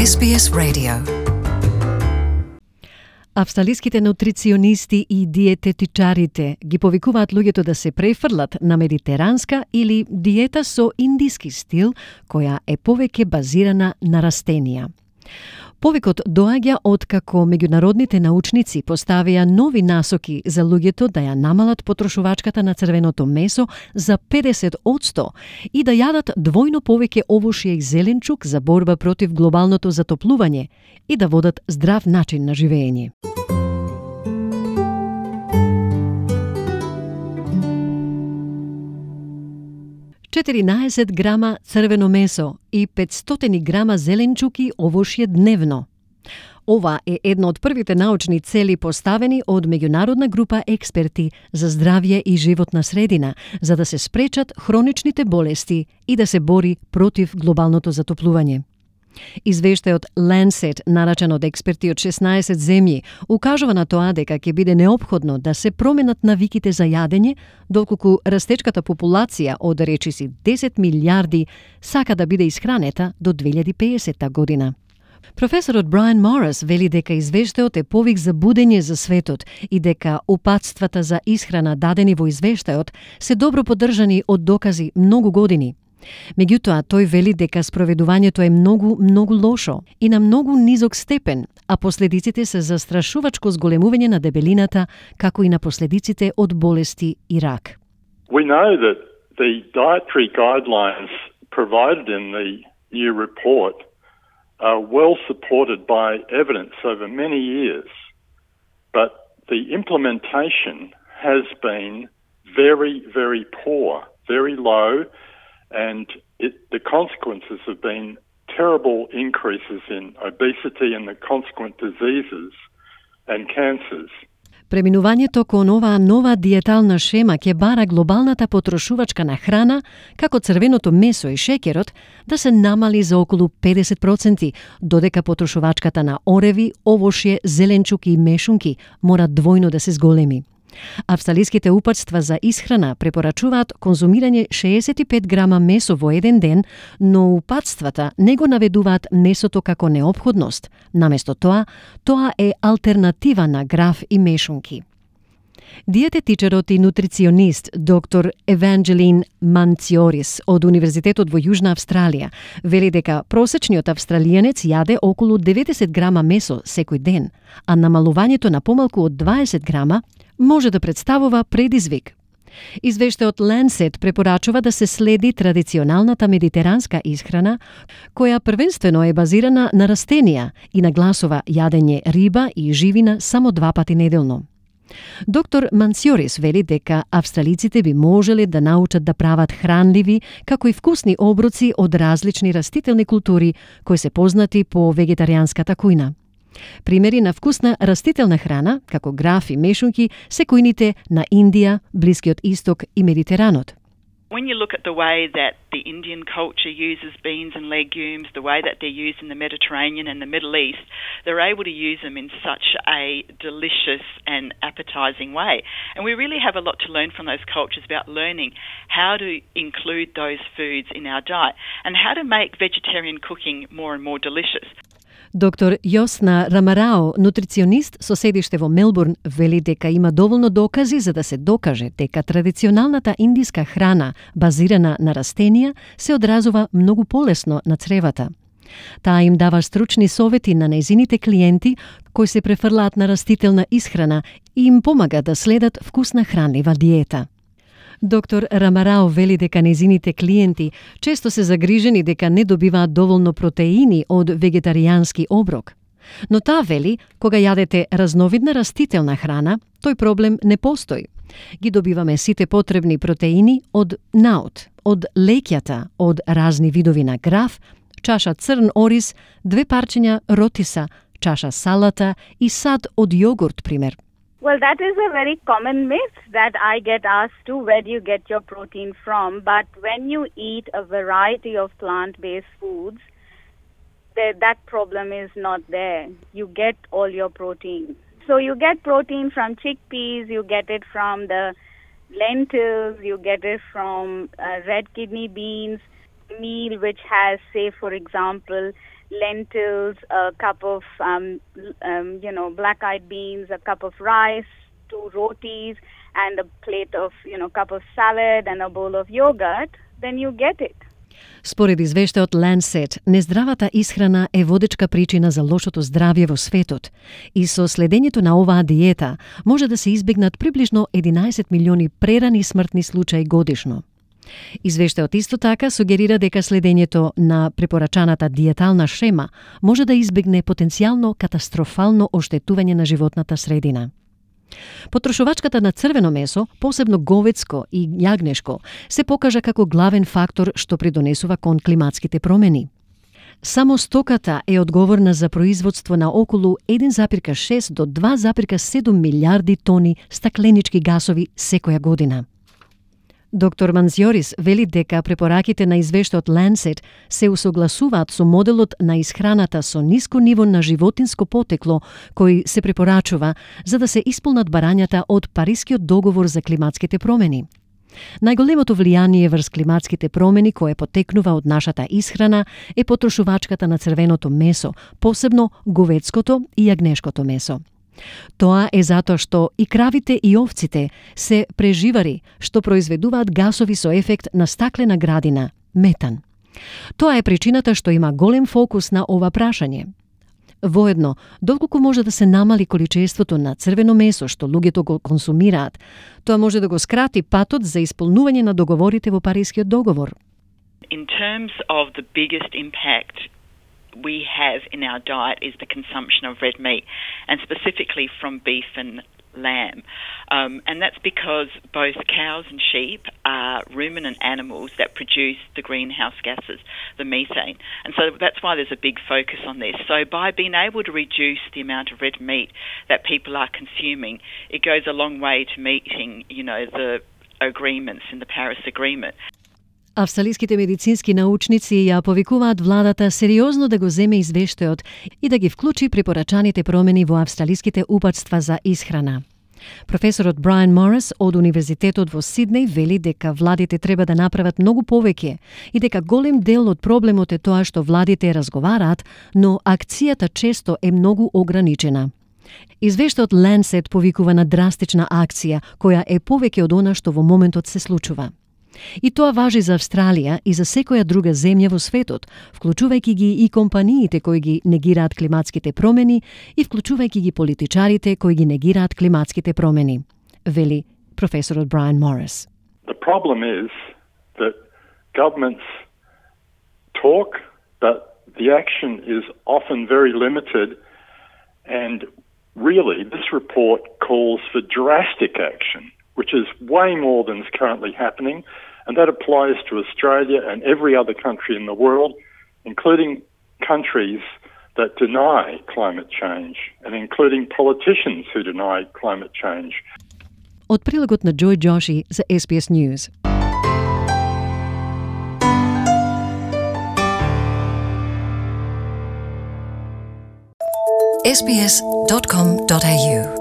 SBS Radio. Австралиските нутриционисти и диететичарите ги повикуваат луѓето да се префрлат на медитеранска или диета со индиски стил, која е повеќе базирана на растенија. Повикот доаѓа откако меѓународните научници поставија нови насоки за луѓето да ја намалат потрошувачката на црвеното месо за 50% и да јадат двојно повеќе овошје и зеленчук за борба против глобалното затоплување и да водат здрав начин на живење. Четиринаесет грама црвено месо и 500 грама зеленчуки овошје дневно. Ова е едно од првите научни цели поставени од меѓународна група експерти за здравје и животна средина, за да се спречат хроничните болести и да се бори против глобалното затоплување. Извештајот Lancet, нарачан од експерти од 16 земји, укажува на тоа дека ќе биде неопходно да се променат навиките за јадење, доколку растечката популација од речиси 10 милиарди сака да биде исхранета до 2050 година. Професорот Брайан Морис вели дека извештајот е повик за будење за светот и дека упатствата за исхрана дадени во извештајот се добро поддржани од докази многу години. Меѓутоа, тој вели дека спроведувањето е многу лошо и на многу низок степен, а последиците се застрашувачко зголемување на дебелината, како и на последиците од болести и рак. We know that the dietary guidelines provided in the new report are well supported by evidence over many years, but the implementation has been very, very poor, very low, and the consequences have been terrible increases in obesity and the consequent diseases and cancers. Преминувањето кон оваа нова диетална шема ќе бара глобалната потрошувачка на храна, како црвеното месо и шеќерот, да се намали за околу 50%, додека потрошувачката на ореви, овошје, зеленчуки и мешунки мора двојно да се зголеми. Австралиските упатства за исхрана препорачуваат конзумирање 65 грама месо во еден ден, но упатствата не го наведуваат месото како неопходност. Наместо тоа е алтернатива на граф и мешунки. Диететичарот и нутриционист доктор Евангелин Манциорис од Универзитетот во Јужна Австралија вели дека просечниот австралијанец јаде околу 90 грама месо секој ден, а намалувањето на помалку од 20 грама може да представува предизвик. Извештајот Lancet препорачува да се следи традиционалната медитеранска исхрана, која првенствено е базирана на растенија и нагласува јадење риба и живина само 2 пати неделно. Доктор Мансиорис вели дека австралиците би можеле да научат да прават хранливи, како и вкусни оброци од различни растителни култури, кои се познати по вегетаријанската кујна. Примери на вкусна растителна храна, како граф и мешунки, се кујните на Индија, Блискиот Исток и Медитеранот. When you look at the way that the Indian culture uses beans and legumes, the way that they're used in the Mediterranean and the Middle East, they're able to use them in such a delicious and appetizing way. And we really have a lot to learn from those cultures about learning how to include those foods in our diet and how to make vegetarian cooking more and more delicious. Доктор Јосна Рамарао, нутриционист со седиште во Мелбурн, вели дека има доволно докази за да се докаже дека традиционалната индиска храна, базирана на растенија, се одразува многу полесно на цревата. Таа им дава стручни совети на нејзините клиенти кои се префрлаат на растителна исхрана и им помага да следат вкусна хранлива диета. Доктор Рамарао вели дека нејзините клиенти често се загрижени дека не добиваат доволно протеини од вегетаријански оброк. Но таа вели, кога јадете разновидна растителна храна, тој проблем не постои. Ги добиваме сите потребни протеини од наут, од леќата, од разни видови на граф, чаша црн ориз, 2 парчиња ротиса, чаша салата и сад од јогурт, пример. Well, that is a very common myth that I get asked too, where do you get your protein from? But when you eat a variety of plant-based foods, that problem is not there. You get all your protein. So you get protein from chickpeas, you get it from the lentils, you get it from red kidney beans, meal which has, say, for example, lentils, a cup of, black-eyed beans, a cup of rice, 2 rotis, and a plate of, cup of salad and a bowl of yogurt, then you get it. Според извештајот Lancet, нездравата исхрана е водечка причина за лошото здравје во светот и со следењето на оваа диета може да се избегнат приближно 11 милиони прерани смртни случаи годишно. Извештајот исто така сугерира дека следењето на препорачаната диетална шема може да избегне потенцијално катастрофално оштетување на животната средина. Потрошувачката на црвено месо, посебно говецко и јагнешко, се покажа како главен фактор што придонесува кон климатските промени. Само стоката е одговорна за производство на околу 1,6 до 2,7 милиарди тони стакленички гасови секоја година. Доктор Манзиорис вели дека препораките на извештајот Lancet се усогласуваат со моделот на исхраната со ниско ниво на животинско потекло кој се препорачува за да се исполнат барањата од Парискиот договор за климатските промени. Најголемото влијание врз климатските промени кое потекнува од нашата исхрана е потрошувачката на црвеното месо, посебно говецкото и јагнешкото месо. Тоа е затоа што и кравите и овците се преживари што произведуваат гасови со ефект на стаклена градина, метан. Тоа е причината што има голем фокус на ова прашање. Воедно, доколку може да се намали количеството на црвено месо што луѓето го консумираат, тоа може да го скрати патот за исполнување на договорите во Парискиот договор. In terms of the biggest impact we have in our diet is the consumption of red meat, and specifically from beef and lamb. And that's because both cows and sheep are ruminant animals that produce the greenhouse gases, the methane. And so that's why there's a big focus on this. So by being able to reduce the amount of red meat that people are consuming, it goes a long way to meeting, the agreements in the Paris Agreement. Австралиските медицински научници ја повикуваат владата сериозно да го земе извештајот и да ги вклучи препорачаните промени во австралиските упатства за исхрана. Професорот Брайан Морис од Универзитетот во Сиднеј вели дека владите треба да направат многу повеќе и дека голем дел од проблемот е тоа што владите разговараат, но акцијата често е многу ограничена. Извештајот Lancet повикува на драстична акција која е повеќе од она што во моментот се случува. И тоа важи за Австралија и за секоја друга земја во светот, вклучувајќи ги и компаниите кои ги негираат климатските промени и вклучувајќи ги политичарите кои ги негираат климатските промени, вели професорот Брайан Морис. The problem is that governments talk, but the action is often very limited, and really this report calls for drastic action, which is way more than is currently happening, and that applies to Australia and every other country in the world, including countries that deny climate change, and including politicians who deny climate change. Од прилогот на Джој Джоши за SBS News. sbs.com.au